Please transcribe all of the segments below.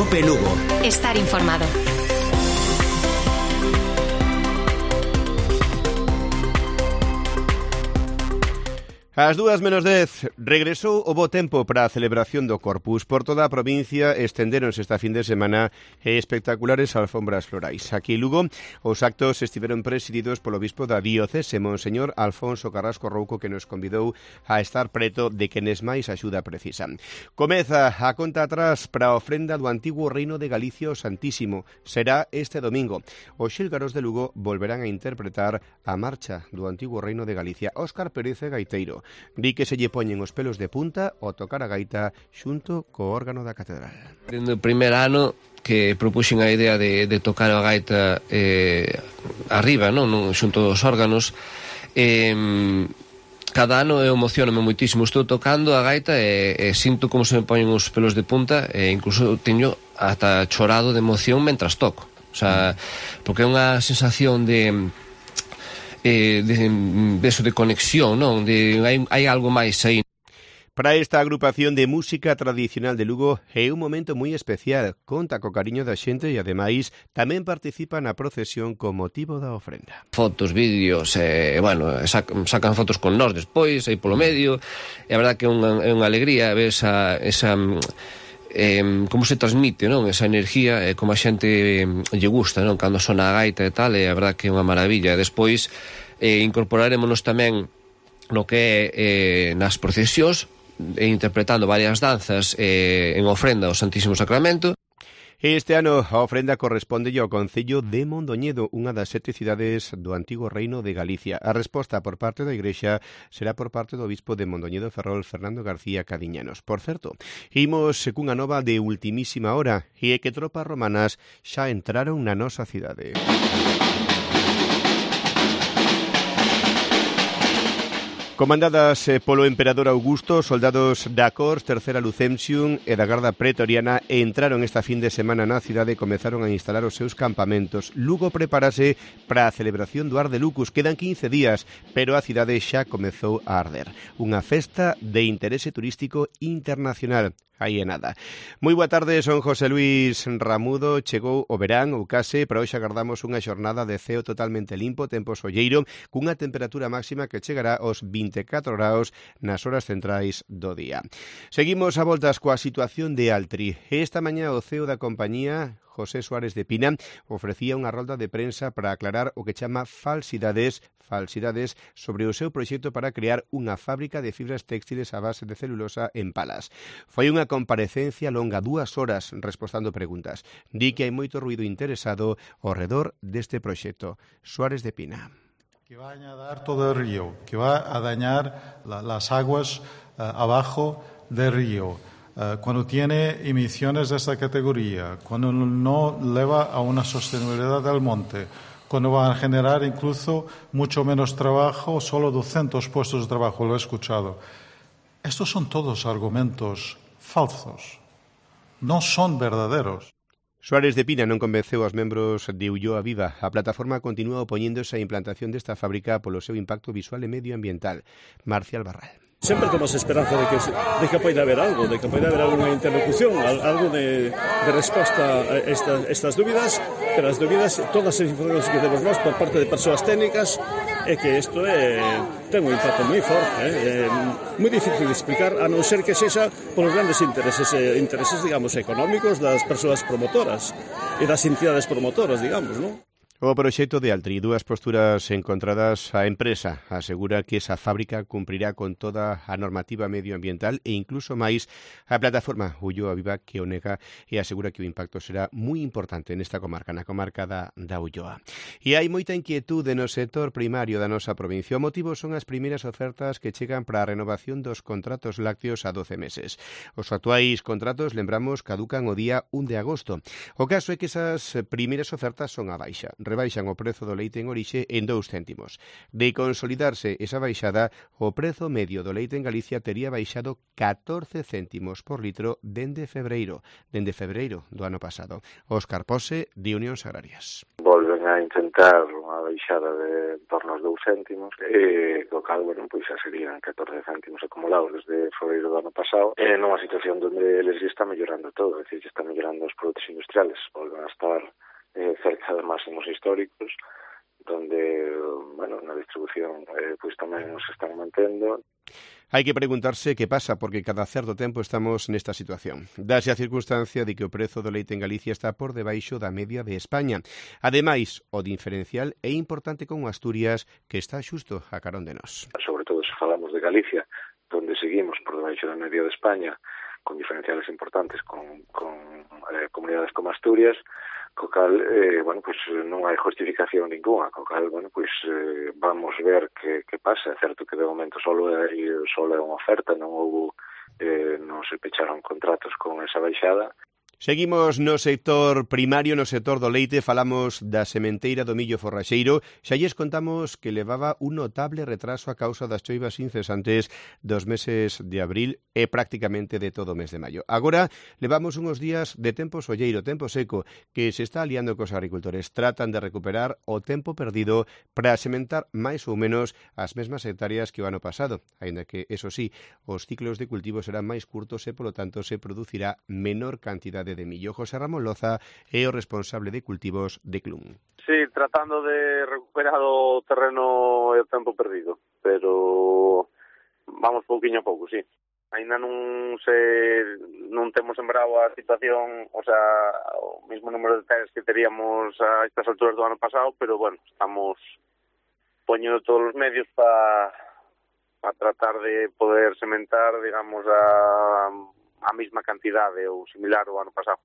Cope Lugo. Estar informado. Ás 2:10, regresou o bo tempo para a celebración do Corpus. Por toda a provincia estendéronse esta fin de semana espectaculares alfombras florais. Aquí en Lugo, os actos estiveron presididos polo bispo da diocese, Monseñor Alfonso Carrasco Rouco, que nos convidou a estar preto de quenes máis axuda precisan. Comeza a conta atrás para a ofrenda do antigo Reino de Galicia o Santísimo. Será este domingo. Os xílgaros de Lugo volverán a interpretar a marcha do antigo Reino de Galicia. Óscar Pérez Gaiteiro di que se lle poñen os pelos de punta ao tocar a gaita xunto co órgano da catedral. Dende o primer ano que propuxen a idea de tocar a gaita arriba, non xunto aos órganos, cada ano eu emocioname moitísimo. Estou tocando a gaita e sinto como se me poñen os pelos de punta e incluso teño ata chorado de emoción mentras toco. O sea, porque é unha sensación de conexión, non? Hai algo máis aí. Para esta agrupación de música tradicional de Lugo é un momento moi especial. Conta co cariño da xente e, ademais, tamén participa na procesión con motivo da ofrenda. Fotos, vídeos, sacan fotos con nós despois, aí polo medio. E a verdad que é unha alegría ver esa como se transmite, non? Esa enerxía, como a xente lle gusta, non? Cando sona a gaita e tal, e a verdad que é unha maravilla. Despois incorporarémonos tamén no que é nas procesións, interpretando varias danzas en ofrenda ao Santísimo Sacramento. Este ano a ofrenda corresponde ao Concello de Mondoñedo, unha das 7 cidades do antigo Reino de Galicia. A resposta por parte da Igrexa será por parte do bispo de Mondoñedo Ferrol, Fernando García Cadiñanos. Por certo, imos cunha nova de ultimísima hora, e é que tropas romanas xa entraron na nosa cidade. Comandadas polo emperador Augusto, soldados da Cors, Tercera Lucensium e da Garda Pretoriana entraron esta fin de semana na cidade e comezaron a instalar os seus campamentos. Lugo prepárase para a celebración do Ar de Lucus. Quedan 15 días, pero a cidade xa comezou a arder. Unha festa de interese turístico internacional. Aí é nada. Moi boa tarde, son José Luis Ramudo. Chegou o verán, ou case, para hoxe agardamos unha xornada de ceo totalmente limpo, tempo solleiro, cunha temperatura máxima que chegará aos 24 graus nas horas centrais do día. Seguimos a voltas coa situación de Altri. Esta mañá o CEO da compañía, José Suárez de Pina, ofrecía unha rolda de prensa para aclarar o que chama falsidades sobre o seu proxecto para crear unha fábrica de fibras textiles a base de celulosa en Palas. Foi unha comparecencia longa, 2 horas, respostando preguntas. Di que hai moito ruído interesado ao redor deste proxecto. Suárez de Pina. Que va a añadar todo el río, que va a dañar las aguas abajo del río. Cuando tiene emisiones de esta categoría, cuando no lleva a una sostenibilidad del monte, cuando va a generar incluso mucho menos trabajo, solo 200 puestos de trabajo, lo he escuchado. Estos son todos argumentos falsos, no son verdaderos. Suárez de Pina non convenceu aos membros de Ulloa Viva. A plataforma continúa opoñéndose á implantación desta fábrica polo seu impacto visual e medioambiental. Marcial Barral. Sempre temos esperanza de que poida haber algo, de que poida haber alguna interlocución, algo de resposta a estas dúbidas, pero as dúbidas, todas as informacións que temos nós por parte de persoas técnicas, é que isto ten un impacto moi forte, moi difícil de explicar, a non ser que sexa polos grandes intereses, digamos, económicos das persoas promotoras e das entidades promotoras, digamos, non? O proxecto de Altri, 2 posturas encontradas. A empresa asegura que esa fábrica cumprirá con toda a normativa medioambiental e incluso máis. A plataforma Ulloa Viva que o nega e asegura que o impacto será moi importante nesta comarca, na comarca da Ulloa. E hai moita inquietude no sector primario da nosa provincia. O motivo son as primeiras ofertas que chegan para a renovación dos contratos lácteos a 12 meses. Os actuais contratos, lembramos, caducan o día 1 de agosto. O caso é que esas primeiras ofertas son a baixa. Rebaixan o prezo do leite en orixe en 2 céntimos. De consolidarse esa baixada, o prezo medio do leite en Galicia tería baixado 14 céntimos por litro dende febreiro do ano pasado. Óscar Pose, de Unións Agrarias. Volven a intentar unha baixada de en torno aos 2 céntimos, co cal, bueno, pois xa serían 14 céntimos acumulados desde febreiro do ano pasado, nunha situación onde eles está mellorando todo, é dicir, está mellorando os produtos industriales, volven a estar cerca de máximos históricos, donde, bueno, na distribución pois tamén nos están mantendo. Hai que preguntarse que pasa, porque cada certo tempo estamos nesta situación. Dase a circunstancia de que o prezo do leite en Galicia está por debaixo da media de España. Ademais, o diferencial é importante con Asturias, que está xusto a carón de nós. Sobre todo se falamos de Galicia, donde seguimos por debaixo da media de España, con diferenciales importantes con comunidades como Asturias, co cal, bueno, pues non hai justificación ninguna, co cal, bueno, pues vamos ver que pasa. É certo que de momento só é unha oferta, non se pecharon contratos con esa baixada. Seguimos no sector primario, no sector do leite, falamos da sementeira do millo forraxeiro. Xa lles contamos que levaba un notable retraso a causa das choivas incesantes dos meses de abril e prácticamente de todo o mes de maio. Agora levamos uns días de tempo solleiro, tempo seco, que se está aliando cos agricultores. Tratan de recuperar o tempo perdido para sementar máis ou menos as mesmas hectáreas que o ano pasado, aínda que, eso sí, os ciclos de cultivo serán máis curtos e, polo tanto, se producirá menor cantidade de millo. José Ramón Loza é o responsable de cultivos de Clun. Sí, tratando de recuperar o terreno e o tempo perdido, pero vamos pouquiño a pouco, sí. Ainda non temos sembrado a situación, o sea, o mismo número de hectáreas que teríamos a estas alturas do ano pasado, pero bueno, estamos poñendo todos os medios para tratar de poder sementar, digamos, a mesma cantidade ou similar ao ano pasado.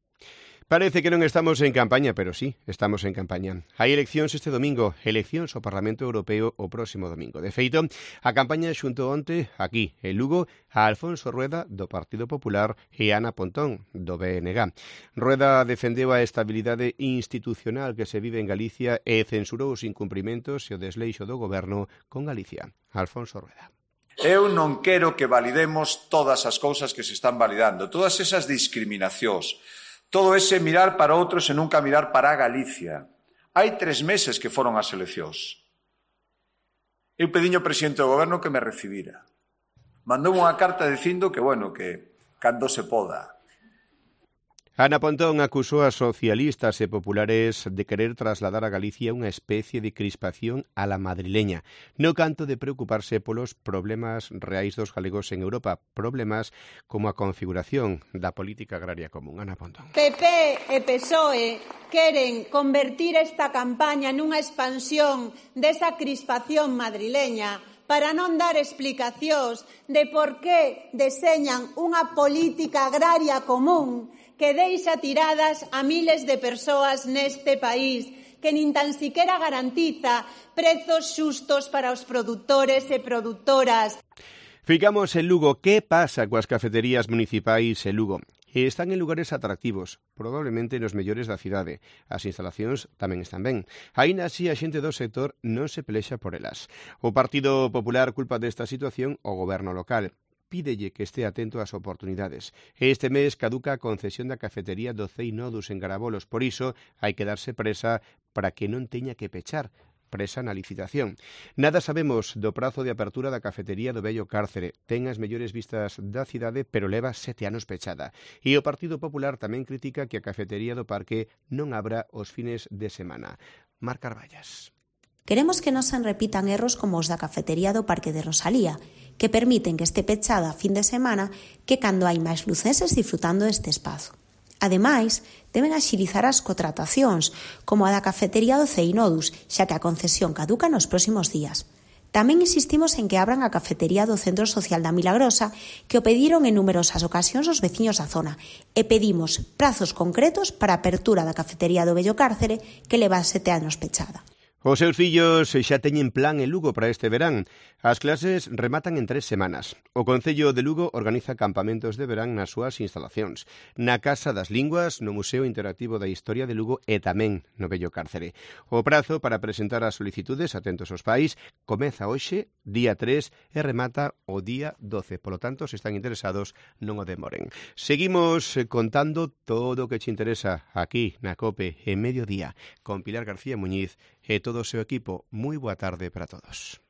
Parece que non estamos en campaña, pero sí, estamos en campaña. Hai eleccións este domingo, eleccións ao Parlamento Europeo o próximo domingo. De feito, a campaña xunto onte, aquí, en Lugo, a Alfonso Rueda, do Partido Popular, e Ana Pontón, do BNG. Rueda defendeu a estabilidade institucional que se vive en Galicia e censurou os incumprimentos e o desleixo do goberno con Galicia. Alfonso Rueda. Eu non quero que validemos todas as cousas que se están validando, todas esas discriminacións, todo ese mirar para outros e nunca mirar para Galicia. Hai 3 meses que foron as eleccións. Eu pediño ao presidente do goberno que me recibira. Mandou unha carta dicindo que, bueno, que cando se poda. Ana Pontón acusou a socialistas e populares de querer trasladar a Galicia unha especie de crispación a la madrileña, no canto de preocuparse polos problemas reais dos galegos en Europa, problemas como a configuración da política agraria común. Ana Pontón. PP e PSOE queren convertir esta campaña nunha expansión desa crispación madrileña para non dar explicacións de por que deseñan unha política agraria común que deixa tiradas a miles de persoas neste país, que nin tan siquiera garantiza prezos xustos para os produtores e produtoras. Ficamos en Lugo. Que pasa coas cafeterías municipais en Lugo? Están en lugares atractivos, probablemente nos mellores da cidade. As instalacións tamén están ben. Aínda así, a xente do sector non se pelexa por elas. O Partido Popular culpa desta situación ao goberno local. Pídelle que este atento ás oportunidades. Este mes caduca a concesión da cafetería do Cei Nodus en Garabolos, por iso hai que darse presa para que non teña que pechar. Presa na licitación. Nada sabemos do prazo de apertura da cafetería do Vello Cárcere. Ten as mellores vistas da cidade, pero leva 7 anos pechada. E o Partido Popular tamén critica que a cafetería do Parque non abra os fines de semana. Mar Carballas. Queremos que non se repitan erros como os da cafetería do Parque de Rosalía, que permiten que este pechada a fin de semana que cando hai máis lucenses disfrutando deste espazo. Ademais, deben axilizar as contratacións, como a da cafetería do Cei Nodus, xa que a concesión caduca nos próximos días. Tamén insistimos en que abran a cafetería do Centro Social da Milagrosa, que o pediron en numerosas ocasións os veciños da zona, e pedimos prazos concretos para a apertura da cafetería do Vello Cárcere, que leva 7 anos pechada. Os seus fillos xa teñen plan en Lugo para este verán. As clases rematan en 3 semanas. O Concello de Lugo organiza campamentos de verán nas súas instalacións, na Casa das Linguas, no Museo Interactivo da Historia de Lugo e tamén no Vello Cárcere. O prazo para presentar as solicitudes, atentos aos pais, comeza hoxe, día 3, e remata o día 12. Polo tanto, se están interesados, non o demoren. Seguimos contando todo o que te interesa aquí na COPE en Mediodía con Pilar García Muñiz e todo o seu equipo. Moi boa tarde para todos.